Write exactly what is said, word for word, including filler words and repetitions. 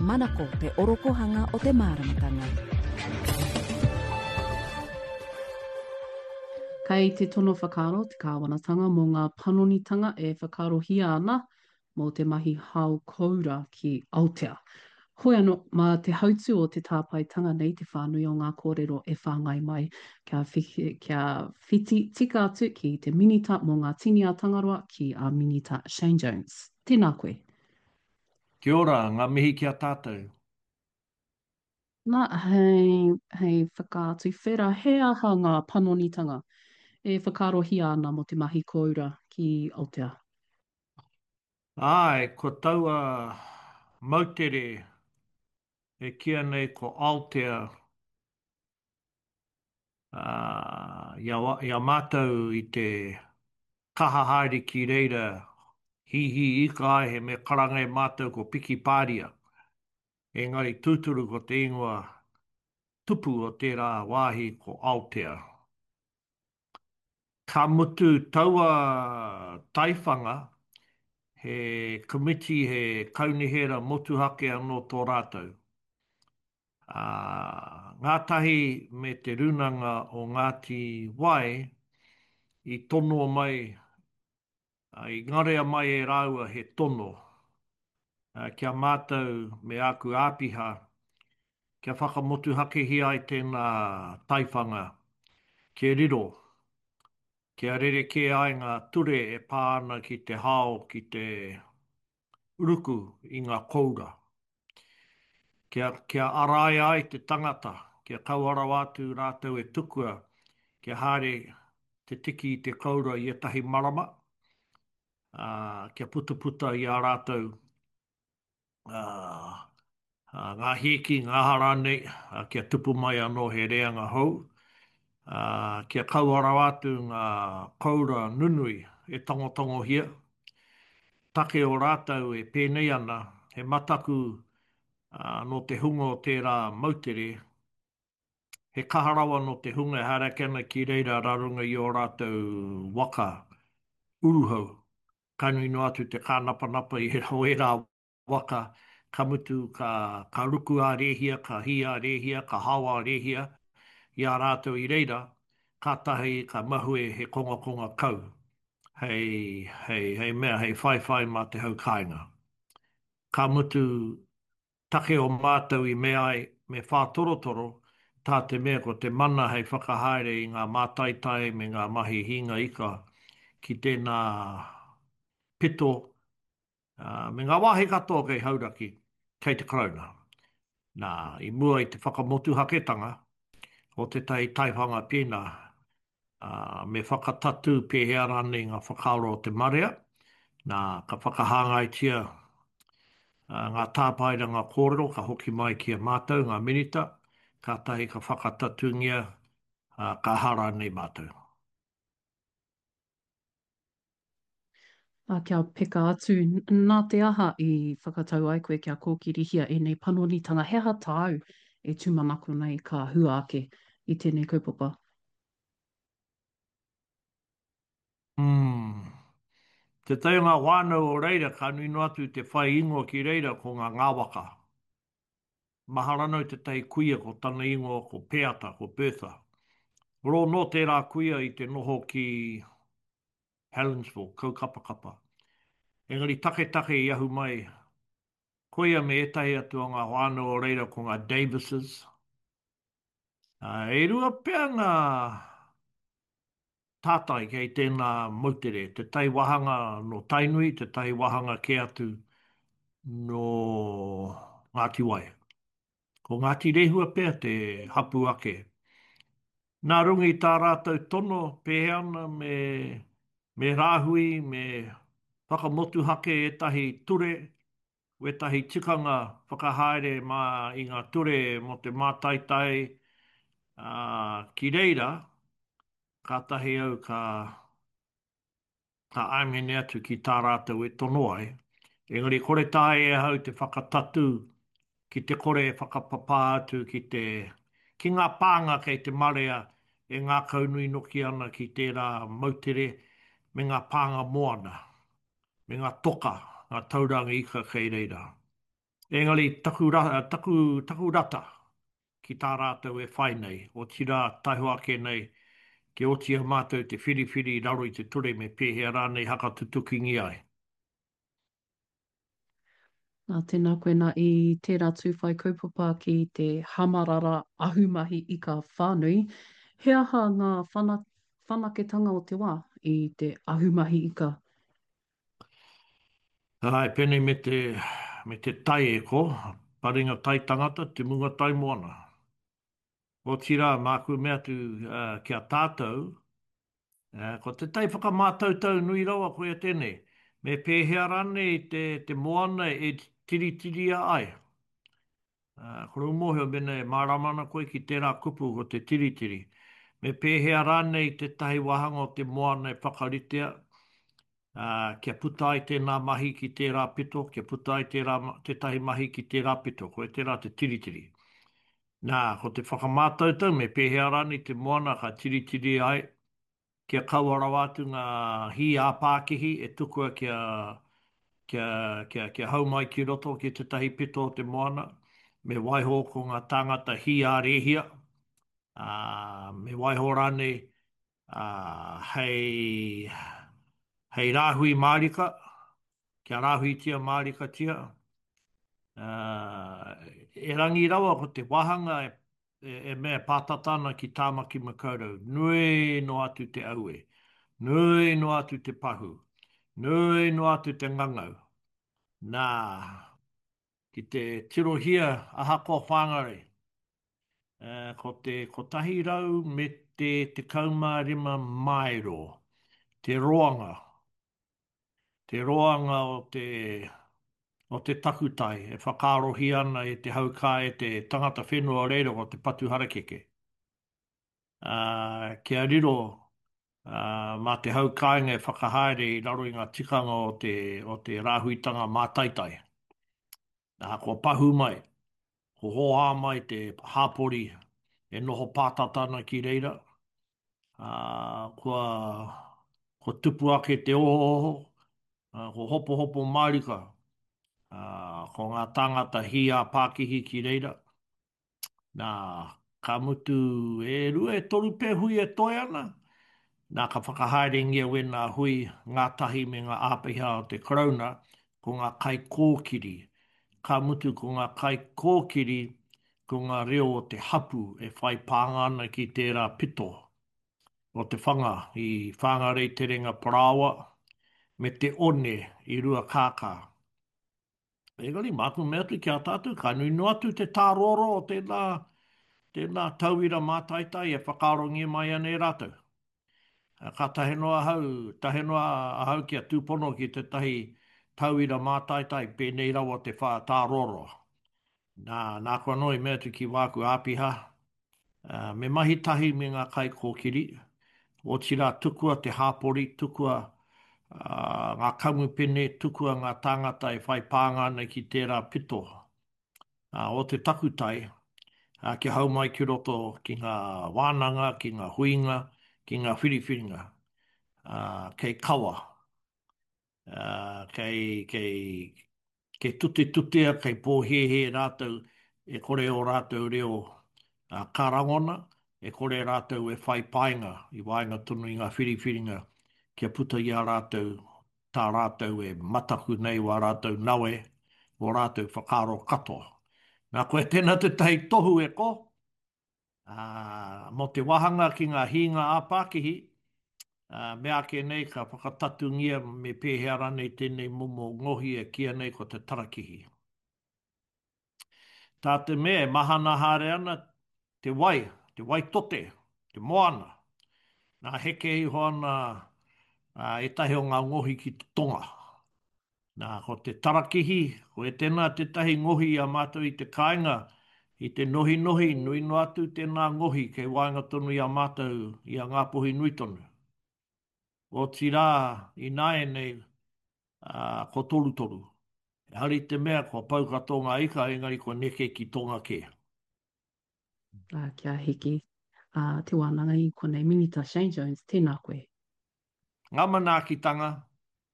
Manako te orokohanga o te māramatanga. Kei te tono whakaaro te kāwanatanga mō ngā panonitanga e whakaarohia ana mō te mahi hao koura ki Aotea. Hoi anō, mā te hautū o te tāpaetanga nei te whānui o ngā kōrero e whāngai mai kia, kia whiti tika atu ki te Minita mō ngā Tini a Tangaroa ki a Minita Shane Jones. Tēnā koe. Kia ora, ngā mihi ki a tātou. Nā, hei, hei whakatuwhera, he aha ngā panonitanga e whakaarohia ana mō te mahi kōura ki Aotea? Āe, ko taua moutere e kīia nei ko Aotea, ā, i a, i a mātou i te kaha haere ki reira hīhī ika ai he mea karanga e mātou ko Pikipāria, engari tūturu ko te ingoa tupu o tērā wāhi ko Aotea. Ka mutu taua taiwhanga, he komiti, he kaunihera motuhake anō tō rātou. Ā, ngātahi me Te Rūnanga o Ngāti Wai i tonoa mai, i ngarea mai e rāua he tono ki a mātou me āku āpiha kia whakamotuhakehia ai tēnā taiwhanga kia riro, kia rerekē ai ngā ture e pā ana ki te hao ki te ruku i ngā koura. Kia, kia araia ai te tangata, kia kaua rawa atu rātou e tukua kia haere te tiki i te koura i ētahi marama, ā, kia putaputa i a rātou, ā, ngā hīki, ngā aha rānei, ā, kia tupu mai anō he reanga hou, ā, kia kaua rawa atu ngā koura nunui e tangotangohia. Take o rātou e pēnei ana, he mataku, ā, nō te hunga o tērā moutere, he kaha rawa nō te hunga e haere ake ana ki reira rā runga i ō rātou waka uruhau. Ka nui noa atu te kānapanapa i ērā waka, ka mutu ka, ka ruku ā-rēhia, ka hī ā-rēhia, ka hao ā-rēhia i a rātou i reira, kātahi ka mahue he kongakonga kau hei, hei, hei mea, hei whaiwhai mā te hau kāinga. Ka mutu, take o mātou i mea ai me whātorotoro, tā te mea ko te mana hei whakahaere i ngā mātaitai me ngā mahi hīnga ika ki tēnā pito, ā, me ngā wāhi katoa kei Hauraki, kei te Karauna. Nā, i mua i te whakamotuhaketanga o tētahi taiwhanga pēnā, ā, me whakatatū pēhea rānei ngā whakaaro o te marea, nā, ka whakahāngaitia ngā tāpaeranga kōrero ka hoki mai ki a mātou, ngā Minita, kātahi ka whakatatūngia, ā, ka aha rānei mātou. Ā, kia peka atu, nā te aha i whakatau ai koe kia kōkirihia ēnei panonitanga? He aha tāu e tūmanako nei ka hua ake i tēnei kaupapa? Umm. Tētahi o ngā whānau o reira ka nui noa atu te whai ingoa ki reira ko ngā Ngāwaka. Mahara nau tētahi kuia ko tana ingoa ko Peata, ko Bertha. Rō nō tērā kuia i te noho ki Helensville, Kaukapakapa. Engari taketake i ahu mai koia me ētahi atu o ngā whānau o reira ko ngā Davises. E rua pea ngā tātai kei tēnā moutere, tētahi wāhanga nō Tainui, tētahi wāhanga kē atu nō Ngāti Wai. Ko Ngāti Rehua pea te hapū ake. Nā runga i tā rātou tono pēhea ana me, me rāhui, me whakamotuhake ētahi ture, wētahi tikanga whakahaere mā i ngā ture mō te mātaitai, ā, ki reira, kātahi au ka, ka āmene atu ki tā rātou e tono ai, engari kore taea e ahau te whakatatū ki te kore e whakapapā atu ki te, ki ngā pānga kei te marea e ngākaunui noki ana ki tērā moutere me ngā pānga moana, me ngā toka, ngā tauranga ika kei reira. Engari taku, taku, taku rata ki tā rātou e whai nei, otirā taihoa ake nei kia oti i a mātou te whiriwhiri i raro i te ture me pēhea rānei hakatutukingia ai. Nā, tēnā koe nā i tērā tū whai kaupapa ki te hamarara ahumahi ika whānui, he aha ngā whanaketanga o te wā i te ahumahi ika? Āe, pēnei me te, me te tai e ko, paringa tai tangata, te munga tai moana. Otirā, māku mea atu ki a tātou, ko te tai whakamātautau nui rawa koia tēnei, me pēhea rānei te, te moana e tiritiria ai? Kore u mōhio mēnā e mārama ana koe ki tērā kupu ko te tiritiri. Me pēhea rānei tētahi wāhanga o te moana e whakaritea, ā, kia puta ai tēnā mahi ki tērā pito, kia puta ai tērā, tētahi mahi ki tērā pito, koia tērā te tiritiri. Nā, ko te whakamātautau me pēhea rānei te moana ka tiritiri ai, kia kaua rawa atu ngā hī ā-pākihi e tukua kia, kia, kia, kia hau mai ki roto ki tētahi pito o te moana, me waiho ko ngā tāngata hī ā-rēhia, ā, me waiho rānei, ā, hei, hei rāhui mārika, kia rāhuitia mārikatia, ā, erangi rawa ko te wāhanga e, e mea e pātata ana ki Tāmaki Makaurau, nui noa atu te aue, nui noa atu te pahū, nui noa atu te ngangau. Nā, ki te tirohia ahakoa Whāngarei, ko te kotahi rau me te tekau mā rima māero te roanga, te roanga o te, o te takutai e whakaarohia ana e te hau kā e te tangata whenua o reira ko te patu harakeke. Ā, kia riro, ā, mā te hau kāinga e whakahaere i raro i ngā tikanga o te, o te rāhuitanga mātaitai. Ā, kua pahū mai, kua hōhā mai te hāpori e noho pātata ana ki reira, ā, kua, kua tupu ake te ohooho, ā, kua hopohopo mārika, ā, ko ngā tāngata hī ā-pākihi ki reira. Nā, ka mutu e rua, e toru pea hui e toe ana, nā, ka whakahaerengia wēnā hui ngātahi me ngā āpiha o te Karauna, ko ngā kaikōkiri. Ka mutu ko ngā kaikōkiri ko ngā reo o te hapū e whai pānga ana ki tērā pito o te whanga i Whāngarei Terenga Parāoa me te one i Ruakākā. Engari, māku mea atu ki a tātou, ka nui noa atu te tāroaroa o tēnā, tēnā tauira mātaitai e whakaarongia mai ana e rātou. Ka tahe noa ahau, tahe noa ahau kia tūpono ki tētahi tauira mātaitai pēnei rawa te whā tāroaroa. Nā, nāku anō i mea atu ki wāku āpiha, me mahi tahi me ngā kaikōkiri, otirā tukua te hāpori, tukua ngā kamupene, tukua ngā tāngata e whai pānga ana ki tērā pito o te takutai, kia hau mai ki roto ki ngā wānanga, ki ngā huinga, ki ngā whiriwhiringa, kei kawa. Ā, kei, kei, kei tutetutea, kei pōhēhē rātou e kore ō rātou reo ka rangona, e kore rātou e whai painga i waenga tonu i ngā whiriwhiringa kia puta i a rātou tā rātou e mataku nei wā rātou nawe, wō rātou whakaaro katoa. Nā, koia tēnā tētahi tohu e ko, Ā, mō te wāhanga ki ngā hīnga ā-pākihi, ā, meāke nei ka whakatatungia me pēhea rānei tēnei momo ngohi e kīia nei ko te tarakihi. Tā te mea e mahana haere ana te wai, te wai tote, te moana, nā heke iho ana ētahi o ngā ngohi ki te tonga. Nā, ko te tarakihi, ko etena tētahi ngohi i a mātou i te kāinga, i te nohinohi, nui noa atu tēnā ngohi kei waenga tonu i a mātou, i a Ngāpuhi nui tonu. Otirā, ināianei, ā, ko torutoru. Ehara i te mea kua pau katoa ngā ika, engari kua neke ki tonga kē. Ā, kia hiki, ā, te wānanga i konei. Minita Shane Jones, tēnā koe. Ngā manaakitanga,